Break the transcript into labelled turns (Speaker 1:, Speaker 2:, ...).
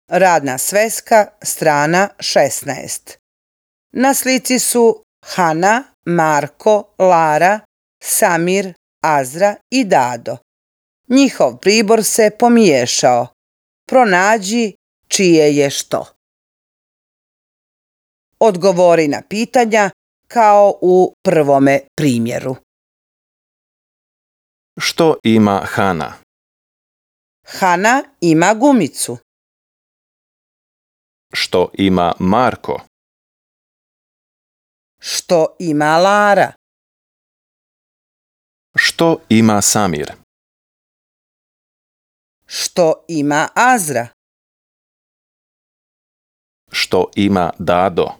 Speaker 1: Radna sveska, strana 16. Na slici su Hana, Marko, Lara, Samir, Azra i Dado. Njihov pribor se pomiješao. Pronađi čije je što. Odgovori na pitanja kao u prvome primjeru.
Speaker 2: Što ima Hana?
Speaker 1: Hana ima gumicu.
Speaker 2: Što ima Marko?
Speaker 1: Što ima Lara?
Speaker 2: Što ima Samir?
Speaker 1: Što ima Azra?
Speaker 2: Što ima Dado?